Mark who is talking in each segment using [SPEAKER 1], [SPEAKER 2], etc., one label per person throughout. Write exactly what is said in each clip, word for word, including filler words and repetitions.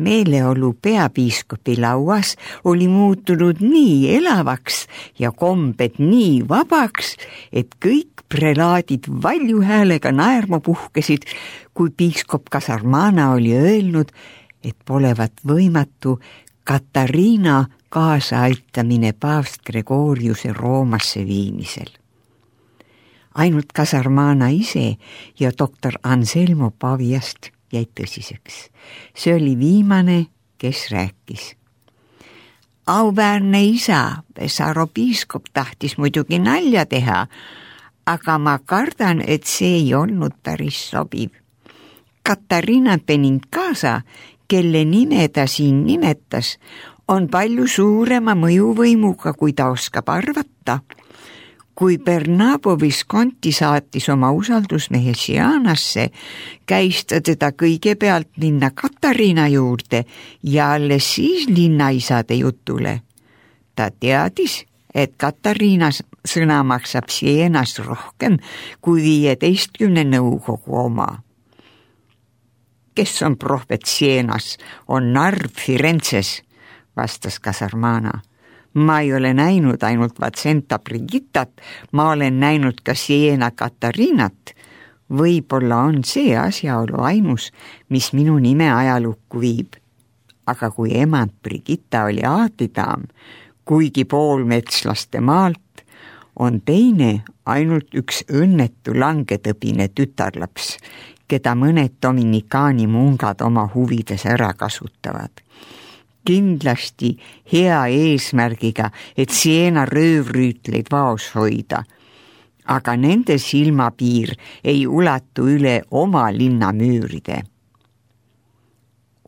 [SPEAKER 1] Meeleolu peapiiskopi lauas oli muutunud nii elavaks ja kombed nii vabaks, et kõik prelaadid valju häälega naerma puhkesid, kui piiskop Kasarmana oli öelnud, et polevat võimatu Katariina kaasaaitamine paavst Gregoriuse Roomasse viimisel. Ainult Kasarmana ise ja doktor Anselmo Paviast jäi tõsiseks. See oli viimane, kes rääkis. Auväärne isa, Pesaro piiskop tahtis muidugi nalja teha, aga ma kardan, et see ei olnud päris sobiv. Katariina Benincasa, kelle nime ta siin nimetas, on palju suurema mõjuvõimuga, kui ta oskab arvata. Kui Bernabo Visconti saatis oma usaldusmehe Sianasse, käis ta teda kõigepealt minna Katariina juurde ja alles siis linnaisade jutule. Ta teadis, et Katariina sõna maksab Sienas rohkem kui viieteistkümne nõukogu oma. Kes on prohvet Sienas, on narv Firenzes, vastas Kasarmana. Ma ei ole näinud ainult Vatsenta Brigittat, ma olen näinud ka Siena Katariinat. Võib-olla on see asjaolu ainus, mis minu nime ajalukku viib. Aga kui emand Brigitta oli aatidaam, kuigi poolmetslaste maalt, on teine ainult üks õnnetu langetõbine tütarlaps, keda mõned dominikaani mungad oma huvides ära kasutavad. Kindlasti hea eesmärgiga, et Siena röövrüütleid vaos hoida, aga nende silmapiir ei ulatu üle oma linnamüüride.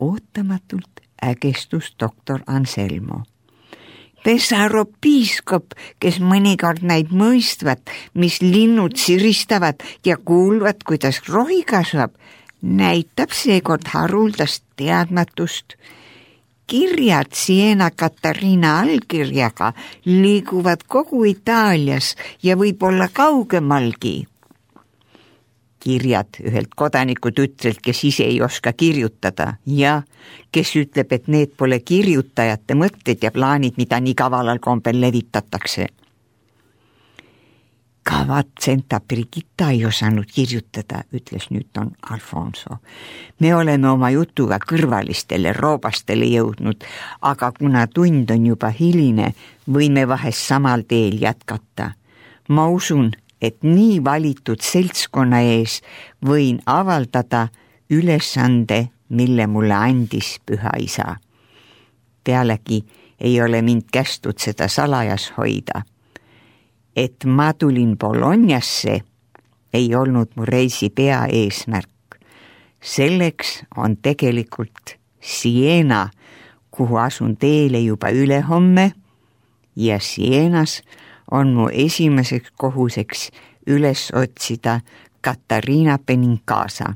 [SPEAKER 1] Ootamatult ägestus doktor Anselmo. Pesaro piiskop, kes mõnikord näib mõistvat, mis linnud siristavad ja kuulvad, kuidas rohi kasvab, näitab seekord haruldast teadmatust. Kirjad Siena Katariina allkirjaga liiguvad kogu Itaalias ja võib-olla kaugemalgi. Kirjad ühelt kodanikutütrelt, kes ise ei oska kirjutada ja kes ütleb, et need pole kirjutajate mõtted ja plaanid, mida nii kavalal kombel levitatakse. Ka Vatsenta Brigitta ei osanud kirjutada, ütles nüüd don Alfonso. Me oleme oma jutuga kõrvalistele roobastele jõudnud, aga kuna tund on juba hiline, võime vahest samal teel jätkata. Ma usun, et nii valitud seltskonna ees võin avaldada ülesande, mille mulle andis püha isa. Pealegi ei ole mind kästud seda salajas hoida. Et ma tulin Bolognasse, ei olnud mu reisi pea eesmärk. Selleks on tegelikult Siena, kuhu asun teele juba ülehomme, ja Sienas on mu esimeseks kohuseks üles otsida Katariina Benincasa.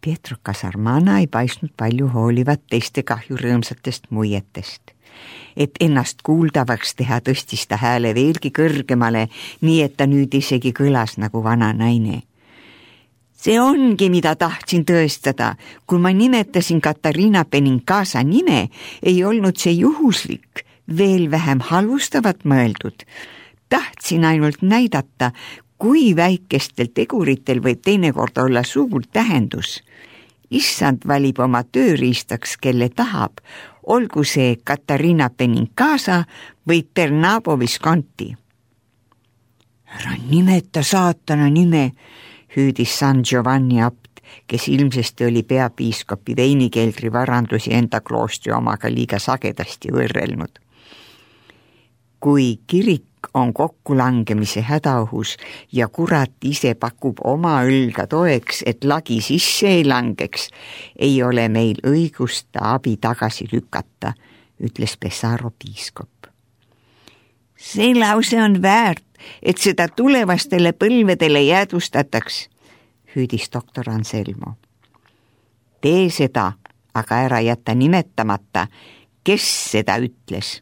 [SPEAKER 1] Pietro Kasarmana ei paistnud palju hoolivat teiste kahjurõõmsatest muietest. Et ennast kuuldavaks teha, tõstis ta hääle veelgi kõrgemale, nii et ta nüüd isegi kõlas nagu vana naine. See ongi, mida tahtsin tõestada. Kui ma nimetasin Katariina Benincasa nime, ei olnud see juhuslik, veel vähem halvustavat mõeldud. Tahtsin ainult näidata, kui väikestel teguritel võib teinekord olla suur tähendus. Issand valib oma tööriistaks, kelle tahab, olgu see Katariina Benincasa või Bernabo Visconti. Ära nimeta saatana nime, hüüdis San Giovanni abt, kes ilmsesti oli peapiiskopi veinikeldri varandusi enda kloostri omaga liiga sagedasti võrrelnud. Kui kirik on kokkulangemise hädaohus ja kurat ise pakub oma õlga toeks, et lagi sisse ei langeks, ei ole meil õigust ta abi tagasi lükata, ütles Pesaro piiskop. See lause on väärt, et seda tulevastele põlvedele jäädvustataks, hüüdis doktor Anselmo. Tee seda, aga ära jätta nimetamata, kes seda ütles.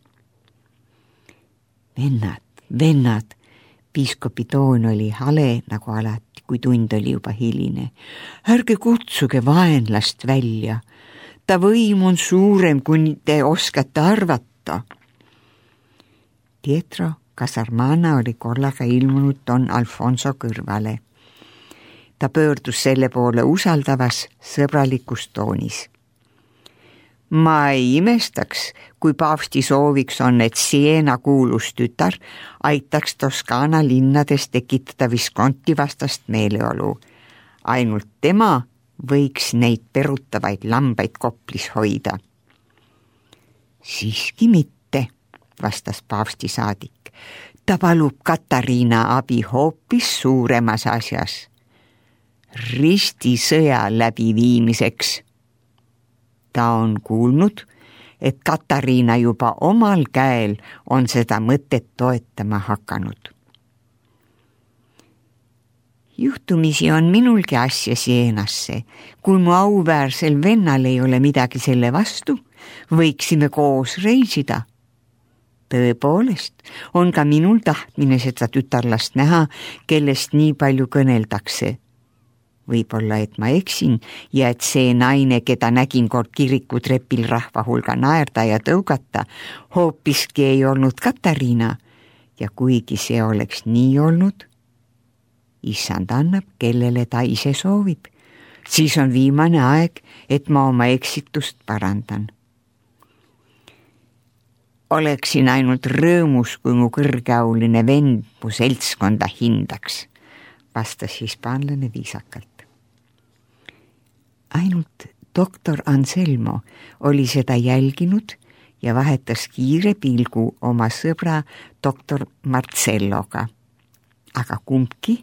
[SPEAKER 1] Vennad, vennad, piiskopi toon oli hale nagu alati, kui tund oli juba hiline. Ärge kutsuge vaenlast välja. Ta võim on suurem, kui te oskate arvata. Pietro Casarmana oli korraga ilmunud Don Alfonso kõrvale. Ta pöördus selle poole usaldavas sõbralikus toonis. Ma ei imestaks, kui paavsti sooviks on, et Siena kuulus tütar aitaks Toskaana linnades tekitada Visconti vastast meeleolu. Ainult tema võiks neid perutavaid lambaid Koplis hoida. Siiski mitte, vastas paavsti saadik. Ta palub Katariina abi hoopis suuremas asjas. Ristisõja läbiviimiseks. Ta on kuulnud, et Katariina juba omal käel on seda mõtet toetama hakanud. Juhtumisi on minulgi asja Sienasse. Kui mu auväärsel vennal ei ole midagi selle vastu, võiksime koos reisida. Tõepoolest, on ka minul tahtmine seda tütarlast näha, kellest nii palju kõneldakse. Võib-olla, et ma eksin ja et see naine, keda nägin kord kirikutrepil rahva hulga naerda ja tõugata, hoopiski ei olnud Katariina. Ja kuigi see oleks nii olnud, issand annab, kellele ta ise soovib. Siis on viimane aeg, et ma oma eksitust parandan. Oleksin ainult rõõmus, kui mu kõrgeauline vend mu seltskonda hindaks, vastas hispaanlane viisakalt. Ainult doktor Anselmo oli seda jälginud ja vahetas kiire pilgu oma sõbra doktor Marcelloga. Aga kumbki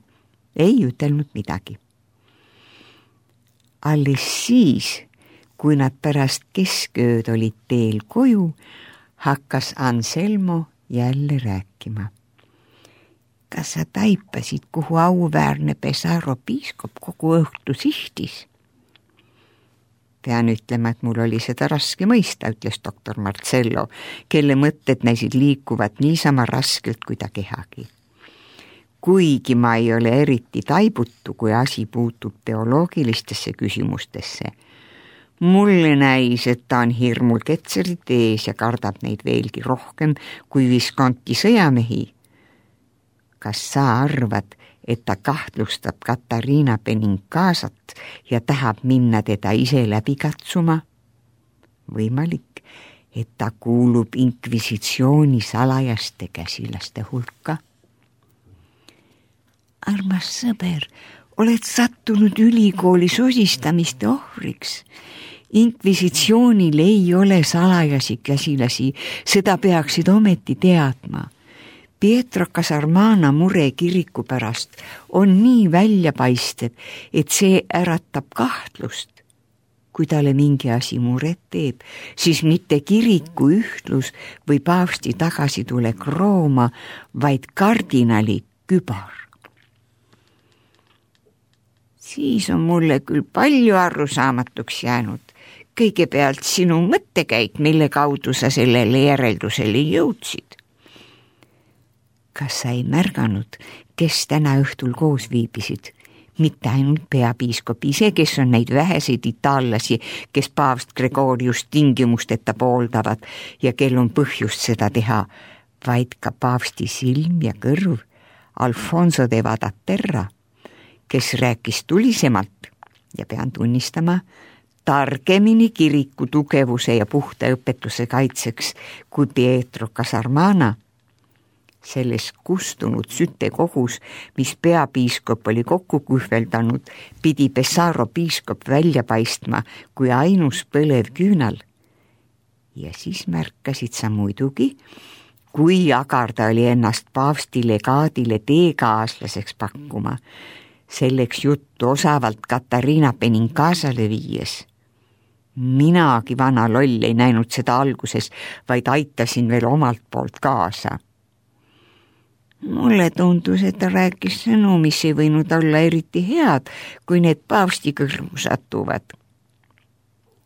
[SPEAKER 1] ei ütelnud midagi. Alles siis, kui nad pärast keskööd olid teel koju, hakkas Anselmo jälle rääkima. Kas sa taipasid, kuhu auväärne Pesaro piiskop kogu õhtu sihtis? Pean ütlema, et mul oli seda raske mõista, ütles doktor Marcello, kelle mõtted näisid liikuvat niisama raskelt kui ta kehagi. Kuigi ma ei ole eriti taibutu, kui asi puutub teoloogilistesse küsimustesse. Mulle näis, et ta on hirmul ketserit ees ja kardab neid veelgi rohkem kui Visconti sõjamehi. Kas sa arvad, et ta kahtlustab Katariina Benincasat ja tahab minna teda ise läbi katsuma? Võimalik, et ta kuulub inkvisitsiooni salajaste käsilaste hulka. Armas sõber, oled sattunud ülikooli sosistamiste ohvriks. Inkvisitsioonil ei ole salajasi käsilasi, seda peaksid ometi teadma. Pietro Casarmana mure kiriku pärast on nii väljapaistev, et see äratab kahtlust. Kui talle mingi asi muret teeb, siis mitte kiriku ühtlus või paavsti tagasitulek Rooma, vaid kardinali kübar. Siis on mulle küll palju arusaamatuks jäänud. Kõigepealt sinu mõttekäik, mille kaudu sa sellele järeldusele jõudsid. Kas sa ei märganud, kes täna õhtul koos viibisid? Mitte ainult peapiiskop ise, kes on neid väheseid itaallasi, kes paavst Gregorius tingimusteta pooldavad ja kel on põhjust seda teha, vaid ka paavsti silm ja kõrv Alfonso de Vadaterra, kes rääkis tulisemalt ja pean tunnistama, targemini kiriku tugevuse ja puhta õpetuse kaitseks kui Pietro Casarmana. Selles kustunud sütekogus, mis peapiiskop oli kokku kuhveldanud, pidi Pesaro piiskop välja paistma kui ainus põlev küünal. Ja siis märkasid sa muidugi, kui agar ta oli ennast paavsti legaadile teekaaslaseks pakkuma, selleks juttu osavalt Katariina Benincasale viies. Minagi vana loll ei näinud seda alguses, vaid aitasin veel omalt poolt kaasa. Mulle tundus, et ta rääkis sõnu, mis ei võinud olla eriti head, kui need paavsti kõrvu satuvad.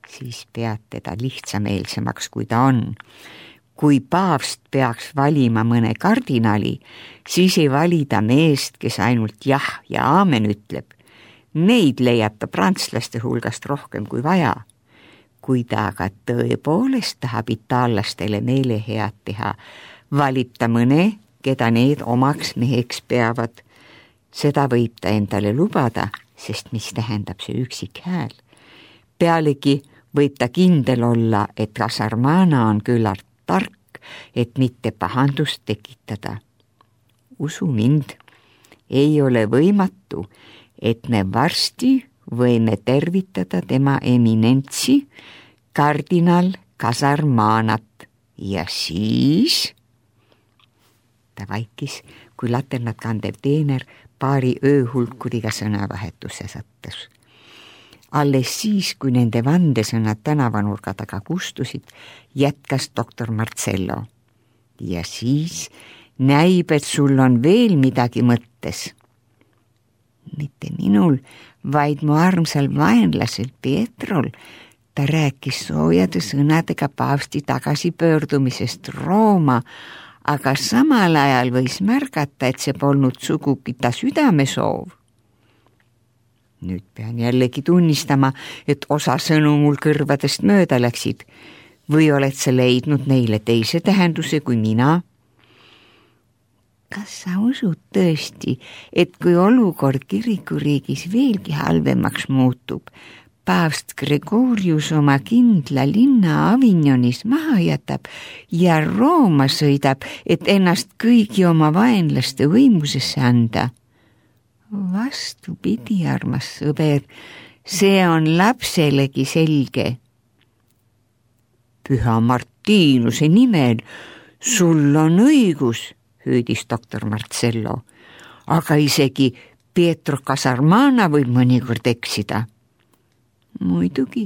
[SPEAKER 1] Siis pead teda lihtsameelsemaks, kui ta on. kui paavst peaks valima mõne kardinali, siis ei valida meest, kes ainult jah ja aamen ütleb. Neid leiab ta prantslaste hulgast rohkem kui vaja. Kui ta aga tõepoolest tahab itaallastele meele head teha, valib ta mõne, keda need omaks meheks peavad. Seda võib ta endale lubada, sest mis tähendab see üksik hääl. Pealegi võib ta kindel olla, et Kasarmana on küllalt tark, et mitte pahandust tekitada. Usu mind, ei ole võimatu, et me varsti võime tervitada tema eminentsi, kardinal Kasarmanat. Ja siis... Ta vaikis, kui laternat kandev teener paari ööhulkuriga sõnavahetuse sattus. Alles siis, kui nende vandesõnad tänavanurga taga kustusid, jätkas doktor Marcello. Ja siis näib, et sul on veel midagi mõttes. Mitte minul, vaid mu armsal vaenlasel Pietrol. Ta rääkis soojade sõnadega paavsti tagasipöördumisest Rooma, aga samal ajal võis märgata, et see polnud sugugi ta südamesoov. Nüüd pean jällegi tunnistama, et osa sõnu mul kõrvadest mööda läksid. Või oled sa leidnud neile teise tähenduse kui mina? Kas sa usud tõesti, et kui olukord kirikuriigis veelgi halvemaks muutub, paavst Gregorius oma kindla linna Avignonis maha jätab ja Rooma sõidab, et ennast kõigi oma vaenlaste võimusesse anda? Vastupidi, armas sõber, see on lapselegi selge. Püha Martinuse nimel, sul on õigus, hüüdis doktor Marcello, aga isegi Pietro Kasarmana võib mõnikord eksida. Muidugi,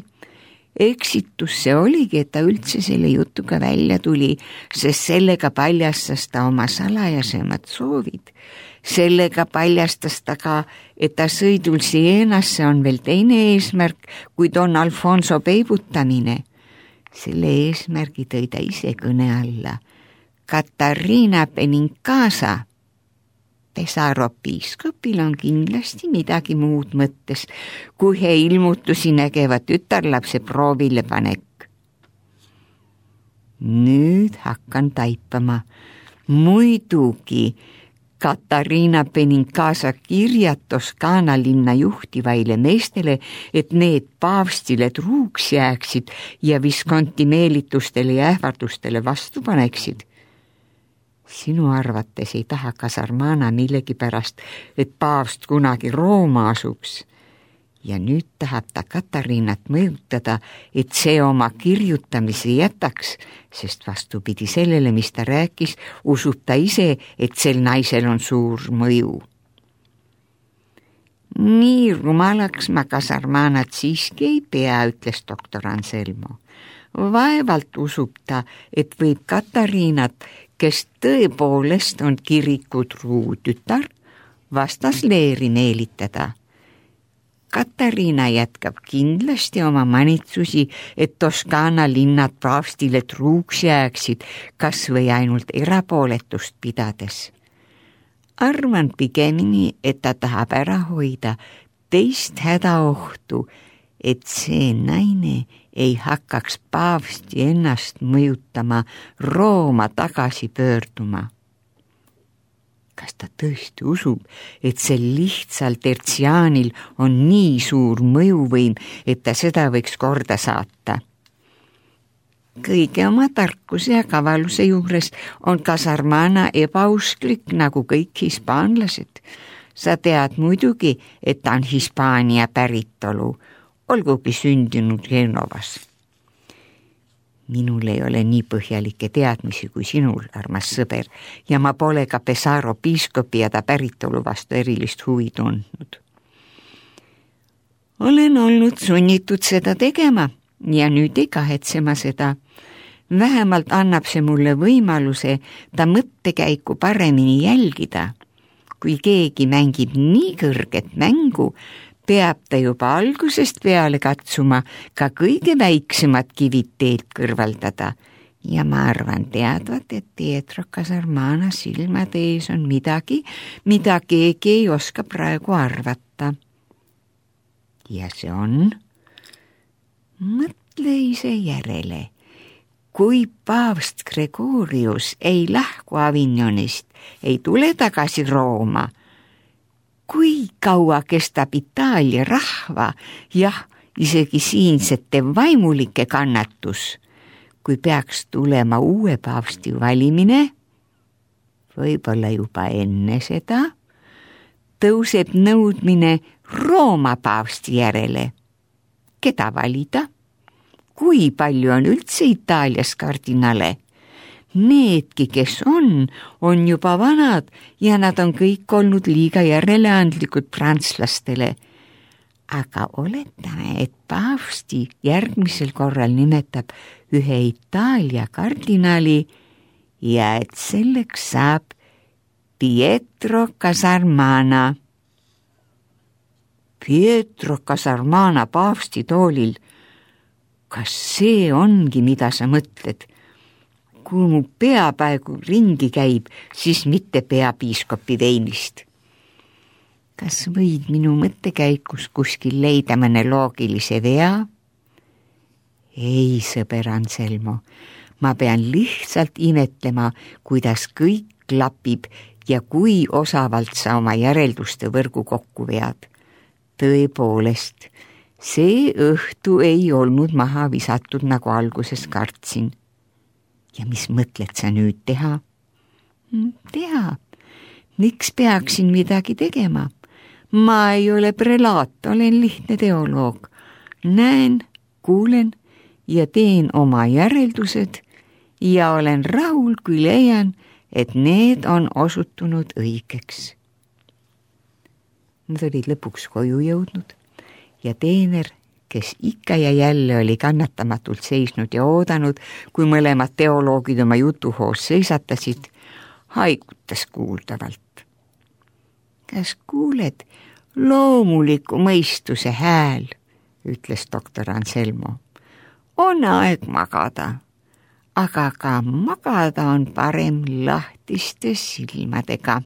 [SPEAKER 1] eksitus see oligi, et ta üldse selle jutuga välja tuli, sest sellega paljastas ta oma salajasemad soovid. Sellega paljastas ta ka, et ta sõidul Sienasse on veel teine eesmärk kui Don Alfonso peibutamine. Selle eesmärgi tõi ta ise kõne alla. Katariina Benincasa. Pesaro piiskopil on kindlasti midagi muud mõttes, kui he ilmutusi nägeva tütarlapse proovile panek. Nüüd hakkan taipama. Muidugi Katariina Benincasa kirjad Toskaana linna juhtivaile meestele, et need paavstile truuks jääksid ja Visconti meelitustele ja ähvardustele vastu paneksid. Sinu arvates ei taha Kasarmana millegi pärast, et paavst kunagi Rooma asuks. Ja nüüd tahab ta Katariinat mõjutada, et see oma kirjutamise jätaks, sest vastupidi sellele, mis ta rääkis, usub ta ise, et sel naisel on suur mõju. Nii rumalaks ma Kasarmanat siiski ei pea, ütles doktor Anselmo. Vaevalt usub ta, et võib Katariinat, kes tõepoolest on kiriku truu tütar, vastas leeri meelitada. Katariina jätkab kindlasti oma manitsusi, et Toskaana linnad paavstile truuks jääksid, kas või ainult erapooletust pidades. Arvan pigemini, et ta tahab ära hoida teist hädaohtu, et see naine ei hakkaks paavsti ennast mõjutama Rooma tagasi pöörduma. Kas ta tõesti usub, et sel lihtsal tertsiaanil on nii suur mõjuvõim, et ta seda võiks korda saata? Kõige oma tarkuse ja kavaluse juures on Kasarmana ebausklik nagu kõik hispaanlased. Sa tead muidugi, et ta on Hispaania päritolu, olgugi sündinud Genovas. Minul ei ole nii põhjalikke teadmisi kui sinul, armas sõber, ja ma pole ka Pesaro piiskopi ja ta päritolu vastu erilist huvi tundnud. Olen olnud sunnitud seda tegema ja nüüd ei kahetse ma seda. Vähemalt annab see mulle võimaluse ta mõttekäiku paremini jälgida. Kui keegi mängib nii kõrget mängu, peab ta juba algusest peale katsuma ka kõige väiksemad kivid teelt kõrvaldada ja ma arvan teadvat, et Pietro Casarmana silmade ees on midagi, mida keegi ei oska praegu arvata. Ja see on, mõtle ise järele, kui paavst Gregorius ei lahku Avignonist, ei tule tagasi Rooma, kui kaua kestab Itaalia rahva, jah, isegi siinsete vaimulike kannatus, kui peaks tulema uue paavsti valimine, võib-olla juba enne seda, tõuseb nõudmine Rooma paavsti järele. Keda valida? Kui palju on üldse Itaalias kardinale? Needki, kes on, on juba vanad ja nad on kõik olnud liiga järeleandlikud prantslastele. Aga oletame, et paavsti järgmisel korral nimetab ühe Itaalia kardinali ja et selleks saab Pietro Casarmana. Pietro Casarmana paavsti toolil. Kas see ongi, mida sa mõtled? Kui mu peapäegu ringi käib, siis mitte peapiiskopi veinist. Kas võid minu mõttekäikus kuskil leida mõne loogilise vea? Ei, sõber Anselmo, ma pean lihtsalt imetlema, kuidas kõik klapib ja kui osavalt sa oma järelduste võrgu kokku vead. Tõepoolest, see õhtu ei olnud maha visatud, nagu alguses kartsin. Ja mis mõtled sa nüüd teha? Teha. Miks peaksin midagi tegema? Ma ei ole prelaat, olen lihtne teoloog. Näen, kuulen ja teen oma järeldused ja olen rahul, kui leian, et need on osutunud õigeks. Nad olid lõpuks koju jõudnud ja teener, kes ikka ja jälle oli kannatamatult seisnud ja oodanud, kui mõlemad teoloogid oma jutuhoos seisatasid, haigutas kuuldavalt. Kas kuuled loomuliku mõistuse hääl, ütles doktor Anselmo. On aeg magada, aga ka magada on parem lahtiste silmadega.